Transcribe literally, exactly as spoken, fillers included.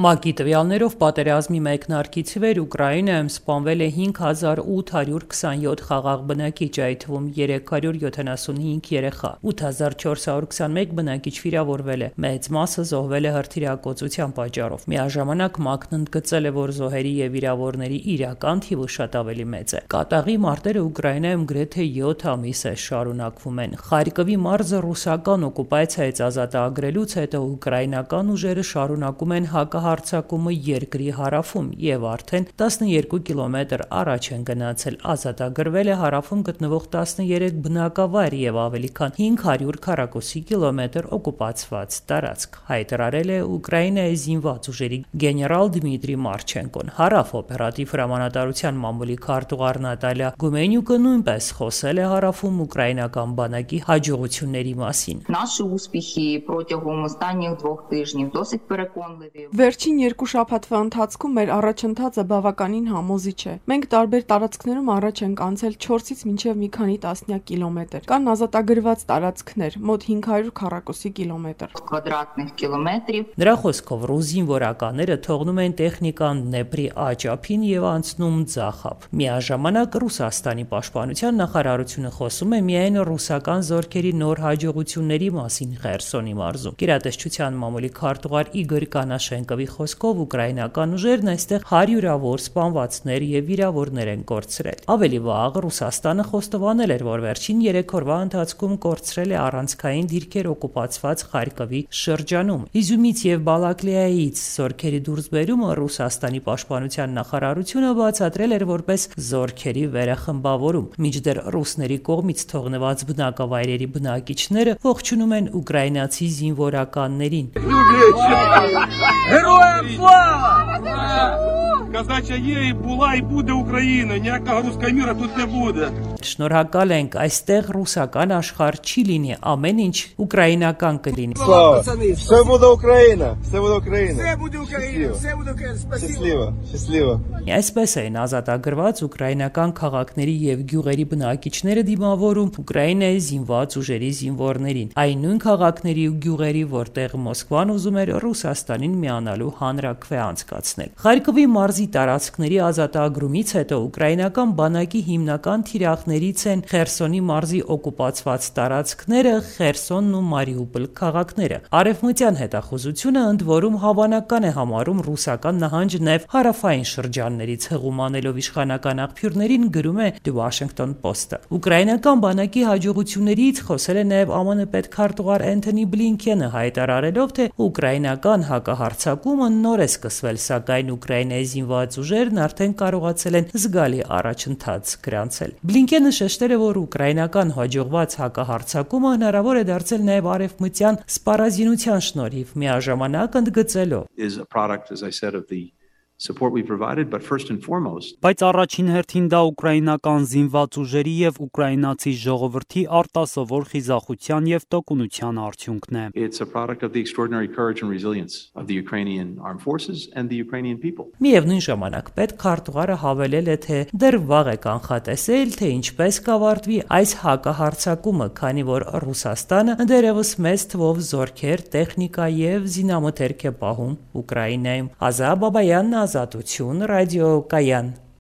ՄԱԿ-ի տվյալներով պատերազմի մեկնարկից ի վեր Ուկրաինայում սպանվել է հինգ հազար ութ հարյուր քսանյոթ խաղաղ բնակիչ, այդ թվում երեք հարյուր յոթանասունհինգ երեխա, ութ հազար չորս հարյուր քսանմեկ բնակիչ վիրավորվել է, մեծ մասը զոհվել է հրթիռակոծության պատճառով։ Միաժամանակ ՄԱԿ-ն ընդգծել է, որ զոհերի եւ վիրավորների իրական թիվը շատ ավելի մեծ է։ Կատաղի մարտերը Ուկրաինայում գրեթե յոթ ամիս է շարունակվում են։ Խարկովի մարզը ռուսական օկուպացիայից ազատագրելուց հետո ուկրաինական ուժերը շարունակում են հակահարձակումը երկրի հարավում եւ արդեն տասնյոթ կիլոմետր առաջ են գնացել։ Ազատագրվել է հարավում գտնվող տասնյոթ բնակավայր եւ ավելի քան հինգ հարյուր քառակուսի կիլոմետր օկուպացված տարածք, հայտարարել է Ուկրաինայի զինված ուժերի գեներալ Դմիտրի Մարչենկոն։ Հարավ օպերատիվ հրամանատարության մամուլի քարտուղար Նատալիա Գումենյուկը նույնպես խոսել է հարավում ուկրաինական բանակի հաջողությունների մասին։ Наші успіхи протягом останніх двох тижнів досить переконливі. Վերջին երկու շաբաթվա ընթացքում մեր առաջընթացը բավականին համոզիչ է։ Մենք տարբեր տարածքներում առաջ ենք անցել չորսից մինչև մի քանի տասնյակ կիլոմետր։ Կան ազատագրված տարածքներ, մոտ հինգ հարյուր քառակուսի կիլոմետր։ Квадратних կիլոմետրів. Նրա խոսքով ռուս զինվորականները թողնում են տեխնիկան Դնեպրի աճափին եւ անցնում Ձախավ։ Միաժամանակ Ռուսաստանի պաշտպանության նախարարությունը խոսում է միայն ռուսական զորքերի նոր հաջողությունների մասին Խերսոնի մարզում։ Գերատեսչության մամուլի քարտուղար Իգոր Կանաշենկովի խոսքով ուկրաինական ուժերն այստեղ հարյուրավոր սպանվածներ եւ վիրավորներ են կորցրել։ Ավելի վաղ Ռուսաստանը խոստովանել էր, որ վերջին երեք օրվա ընթացքում կորցրել է առանցքային դիրքեր օկուպացված Խարկովի շրջանում։ Իզյումից եւ Բալակլիայից զորքերի դուրսբերումը Ռուսաստանի պաշտպանության նախարարությունը բացատրել էր որպես զորքերի վերախմբավորում։ Մինչդեռ ռուսների կողմից թողնված բնակավայրերի բնակիչները ողջունում են ուկրաինացի զինվորականներին։ Героям слава! Казача є, і була, і буде Україна. Ніякого руського міра тут не буде. Շնորհակալ ենք, այստեղ ռուսական աշխարհ չի լինի, ամեն ինչ ուկրաինական կլինի։ Слава! Все буде Україна! Все буде Україна! Все буде Україна! Все буде Україна! Спасибо! Щасливо! Щасливо! Այսպես էին ազատագրված ուկրաինական քաղաքների եւ գյուղերի բնակիչները դիմավորում Ուկրաինայի զինված ուժերի զինվորներին։ Այն նույն քաղաքների ու գյուղերի, որտեղ Մոսկվան ուզում էր Ռուսաստանին միանալու հանրաքվե անցկացնել։ Խարկովի մարզի տարածքների ազատագրումից հետո ուկրաինական բանակի հիմնական թիրախներից են Խերսոնի մարզի օկուպացված տարածքները, Խերսոնն ու Մարիուպոլ քաղաքները։ Արևմտյան հետախուզությունը ընդ որում հավանական է համարում ռուսական նահանջ նեւ հարավային շրջաններից հղում անելով իշխանական աղբյուրներին, գրում է The Washington Post-ը։ Ուկրաինական բանակի հաջողություններից խոսել է նաև ԱՄՆ պետքարտուղար Էնթոնի Բլինքենը, հայտարարելով, թե ուկրաինական հակահարձակումը նոր է սկսվել, սակայն Ուկրաինայի զինված ուժերն արդեն կարողացել են զգալի առաջընթաց գրանցել։ Բլինքենը շեշտել է, որ ուկրաինական հաջողված հակահարձակումը հնարավոր է դարձել նաև արևմտյան սպառազինության շնորհիվ, միաժամանակ ընդգծելով. is a product, as I said, of the support we provided, but first and foremost, Բայց առաջին հերթին դա ուկրաինական զինված ուժերի եւ ուկրաինացի ժողովրդի արտասովոր խիզախության եւ տոկունության արդյունքն է։ it's a product of the extraordinary courage and resilience of the Ukrainian armed forces and the Ukrainian people. Միևնույն ժամանակ պետքարտուղարը հավելել է, թե դեռ վաղ է կանխատեսել, թե ինչպես կավարտվի այս հակահարձակումը, քանի որ Ռուսաստանը դեռևս մեծ թվով զորքեր, տեխնիկա եւ զինամթերք է պահում Ուկրաինայում։ Ազա Բաբայանն, Ազատություն, Ռադիո Կայան։